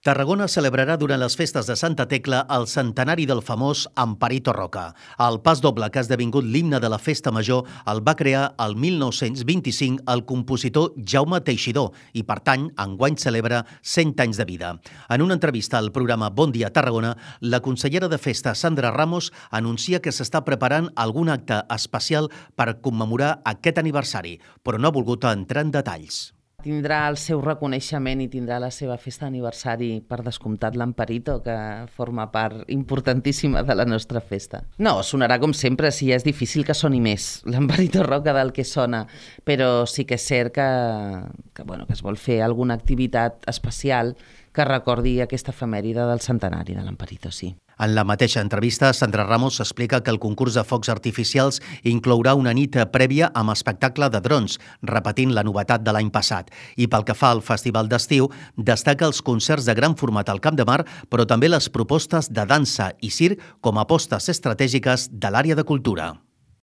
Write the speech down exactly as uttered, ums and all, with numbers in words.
Tarragona celebrarà durant les festes de Santa Tecla el centenari del famós Amparito Roca. El pas doble, que ha esdevingut l'himne de la festa major, el va crear el mil nou-cents vint-i-cinc el compositor Jaume Teixidor i, per tant, enguany celebra cent anys de vida. En una entrevista al programa Bon Dia Tarragona, la consellera de Festa, Sandra Ramos, anuncia que s'està preparant algun acte especial per commemorar aquest aniversari, però no ha volgut entrar en detalls. Tindrà el seu reconeixement i tindrà la seva festa d'aniversari, per descomptat, l'Amparito, que forma part importantíssima de la nostra festa. No, sonarà com sempre, sí, és difícil que soni més l'Amparito Roca del que sona, però sí que és cert que, que, bueno, que es vol fer alguna activitat especial que recordi aquesta efemèride del centenari de l'Amparito, sí. En la mateixa entrevista, Sandra Ramos explica que el concurs de focs artificials inclourà una nit prèvia amb espectacle de drons, repetint la novetat de l'any passat. I pel que fa al festival d'estiu, destaca els concerts de gran format al Camp de Mar, però també les propostes de dansa i circ com a apostes estratègiques de l'àrea de cultura.